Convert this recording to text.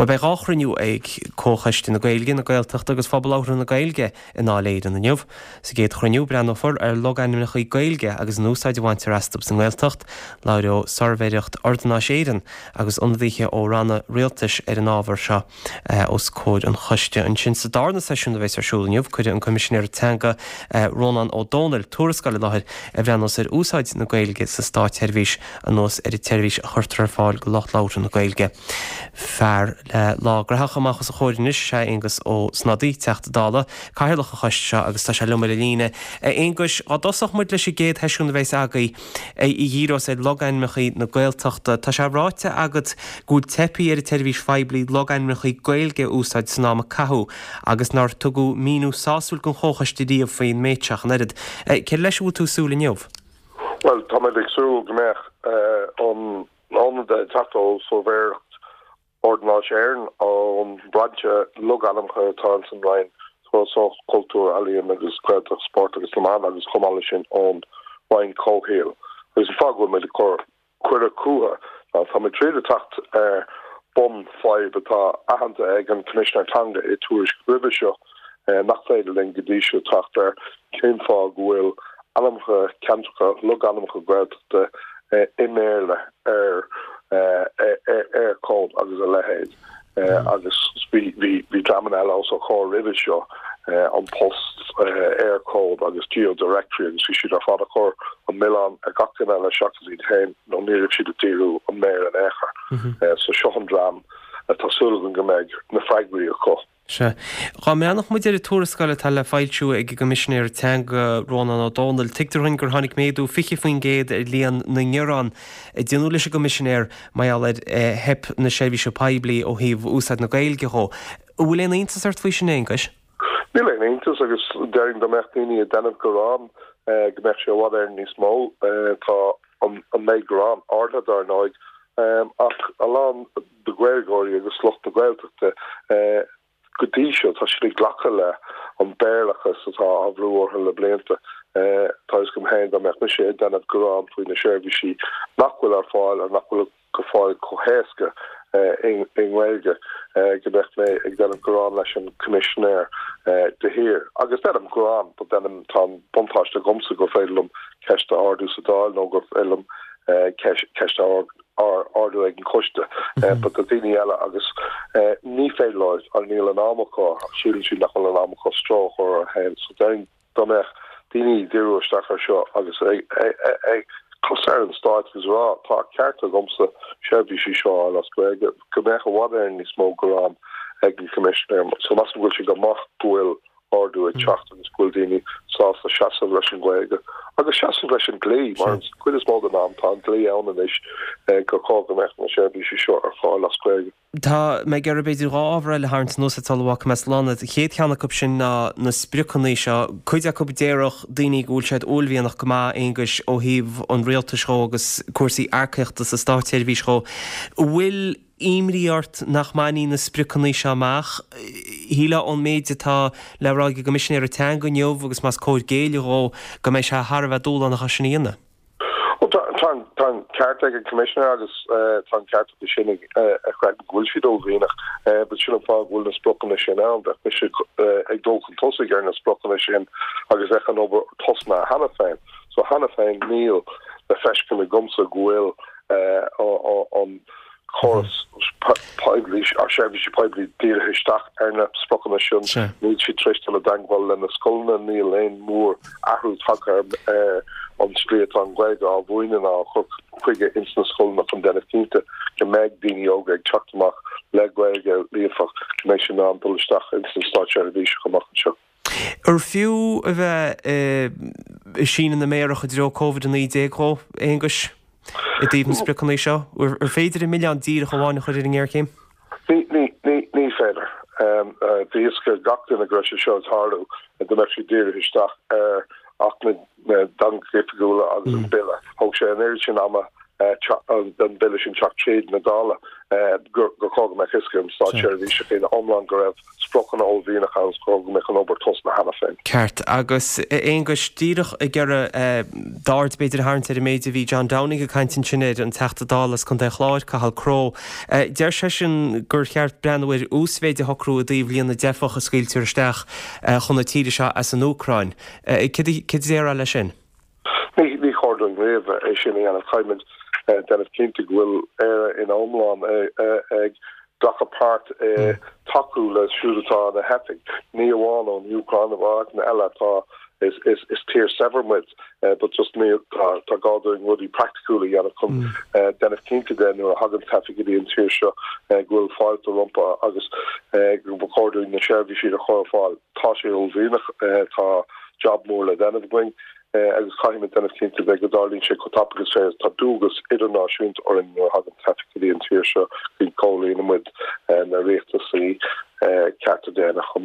Bhuel, beidh 2 chruinniú ag Comhchoiste na Gaeilge, na Gaeltachta agus Phobal Labhartha na Gaeilge i nDáil Éireann inniu. Sa gcéad chruinniú, breathnófar ar logainmneacha Gaeilge agus an úsáid a bhaintear astu sa nGaeltacht. Labhróidh Suirbhéireacht Ordanáis Éireann agus ionadaithe ó ranna rialtais ar an ábhar seo os comhair an choiste. Ansin, sa darna seisiún a bheas ar siúl inniu, cuirfidh an Coimisinéir Teanga Rónán Ó Domhnaill tuarascáil i láthair a bhreathnós ar úsáid na Gaeilge sa státseirbhís anuas ar an tseirbhís a chuirtear ar fáil do lucht labhartha na Gaeilge. Fear le lá graitheach amach os a chomhair anois is ea Aengus Ó Snodaigh, Teachta Dála, Cathaoirleach an choiste seo agus tá sé liom ar an líne. A Aonghuis, dá dtosódh muid leis an gcéad sheisiún a bheas agaibh, a dhíreos ar logainmneacha na Gaeltachta, tá sé ráite agat go bhfuil teipthe ar an tseirbhís phoiblí logainmneacha Gaeilge a úsáid san am a caitheadh agus nár tugadh míniú sásúil don Chomhchoiste riamh faoin méid seo ach an oiread. Céard leis a bhfuil tú ag súil inniu? Bhuel, táimid ag súil go mbeadh an ionadaí ag teacht ó Suirbhéireacht Ordanáis Éireann, ón mbrainse logainmneacha atá ins an Roinn Turasóireachta, Cultúir, Ealaíon agus Gaeltacht, Spóirt agus na Meán agus chomh maith leis sin ón Roinn Comhshaoil. Agus an fáth go bhfuil muid ag cur cuireadh chucu ná táimid ag triail a teacht ar bun-fhadhb atá aitheanta ag an Choimisinéir Teanga i tuairisc roimhe seo nach féidir linn go dtí seo teacht ar cén fáth go bhfuil ainmneacha ceantracha, logainmneacha Gaeltachta i mBéarla ar Eircode agus a leithéid. Agus bhí dreamanna eile os ár gcomhair roimhe seo, An Post, Eircode agus GeoDirectory agus bhí siad ar fad ag cur an milleán ar gach duine eile seachas iad féin nó ní raibh siad ag díriú an méar in aon chor. So seo an dream tá súil againn go mbeidh na freagraí acu. Sea. Dá mbreathnódh muid ar an tuarascáil atá le foilsiú ag an gCoimisinéir Teanga, Rónán Ó Domhnaill, tuigtear dhúinn gur tháinig méadú 20% ar líon na ngearán a déanadh leis an gCoimisinéir mar gheall ar theip na seirbhíse poiblí ó thaobh úsáid na Gaeilge dhó. An bhfuil aon iontas ort faoi sin, a Aonghuis? Níl aon iontas agus déarfainn dá mbeadh daoine ag déanamh gearán go mbeadh sé i bhfad Éireann níos mó. Tá an méid gearán ardaithe dar ndóigh ach a lán de Ghaeilgeoirí agus lucht na Gaeltachta go dtí seo, tá siad ag glacadh le an Béarlachas atá á bhrú orthu le blianta. Tá fhios agam féin dá mbeadh mise ag déanamh gearán faoi na seirbhísí nach bhfuil ar fáil ar nach bhfuil ar fáil chomh héasca i nGaeilge, go mbeadh mé ag déanamh gearán leis an Choimisinéir de shíor. Agus déanaim gearán, but déanaim, tá an buntáiste agamsa gur féidir liom ceist a ardú sa Dáil nó gur féidir liom ceist a ardú ag an choiste. But tá daoine eile agus ní féidir leo, or níl an am acu, síleann siad nach bhfuil an am acu stró a chur orthu féin. So déarfainn dá mbeadh daoine ag díriú isteach ar seo agus ag casadh ar an stáit agus rá tá ceart agamsa seirbhísí seo a fháil as Gaeilge, go mbeadh i bhfad Éireann níos mó gearán ag an Choimisinéir. So measaim go bhfuil sé go maith go bhfuil ardú ag teacht agus go bhfuil daoine sásta seasamh leis an Ghaeilge agus seasamh leis an dlí, mar an chuid is mó den am tá an dlí ann anois gur chóir go mbeadh na seirbhísí seo ar fáil as Gaeilge. Tá mé ag iarraidh b'fhéidir 2 ábhar eile a tharraingt anuas sula bhfágfaidh mé slán. An chéad cheann acu sin ná na spriocanna seo. Cuid acu déarfadh daoine go bhfuil siad uaillmhianach go maith, Aonghuis, ó thaobh an rialtais dhó agus cúrsaí earcaíochta sa státseirbhís dhó. An bhfuil imní ort nach mbainfí na spriocanna seo amach? Shílfeá ón méid atá le rá ag an gCoimisinéir Teanga inniu agus más cóir géilleadh dhó, go mbeidh sé thar a bheith dúshlánach é sin a dhéanamh. Bhuel, tá an ceart ag an Choimisinéir agus tá an ceart acu sin a chreideann go bhfuil siad uaillmhianach. But sin an fáth go bhfuil na spriocanna sin ann. Bheadh mise ag dul chun tosaigh ar na spriocanna sin agus bheadh an obair tosnaithe cheana féin. So cheana féin níl le feiscint agamsa go bhfuil an córas poiblí, ár seirbhísí poiblí dírithe isteach ar na spriocanna sin. Níl siad tar éis dul i dteangmháil le na scoileanna, níl aon mór athrú tagtha ar an slí atá an Ghaeilge á mhúineadh ná á chur chuige ins na scoileanna chun déanamh cinnte go mbeidh daoine óga ag teacht amach le Gaeilge líofa, go mbeidh siad in ann dul isteach ins an státseirbhís amach anseo. Ar fiú a bheith ag síneadh na méarach i dtreo Covid-19 dhó, a Aonghuis, i dtaobh na spriocanna seo? Ar féidir an milleán díreach amháin a chur ar an ngéarchéim? Ní féidir. Bhí fhios ag gach duine go raibh sé seo ag tarlú, go mbeadh sé dírithe isteach ar Acht na dTeangacha Oifigiúla agus an Bille. Thóg sé an oiread sin ama. An bille sin teacht tríd na Dála, gur chóir go mbeadh fhios ag an státseirbhíseach ina iomlán go raibh spriocanna uaillmhianacha ann agus gur chóir go mbeadh an obair tosnaithe cheana féin. Ceart. Agus a Aonghuis, díreach ag iarraidh d'aird b'fhéidir a tharraingt ar an méid a bhí John Downing ag caint ansin air, an Teachta Dála as Contae an Chláir, Cathal Crowe. Deir seisean gur cheart breathnú ar uasmhéid a shocrú i dtaobh líon na dteifeach a scaoiltear isteach chun na tíre seo as an Úcráin. Céard a déarfá leis sin? Ní chóir dúinn riamh é sin a dhéanamh. Caithfimid déanamh cinnte go bhfuil Éire ina iomlán ag glacadh páirt i tacú le siúd atá ina theifigh, ní amháin ón Úcráin, ó áiteanna eile. Tá, is tír saibhir muid, but just ní, tá gá dúinn rudaí praiticiúla a dhéanamh chun déanamh cinnte de nuair a thagann teifigh go dtí an tír seo go bhfuil fáilte rompu agus go ba chóir dúinn na seirbhísí a chur ar fáil. Tá sé uaillmhianach, tá jab mór le déanamh againn agus caithfimid déanamh cinnte de go dtarlaíonn sé chomh tapaidh is féidir. Tá dualgas idirnáisiúnta orainn nuair a thagann teifigh go dtí an tír seo go gcomhlíonann muid na riachtanaisí cearta daonna chomh maith.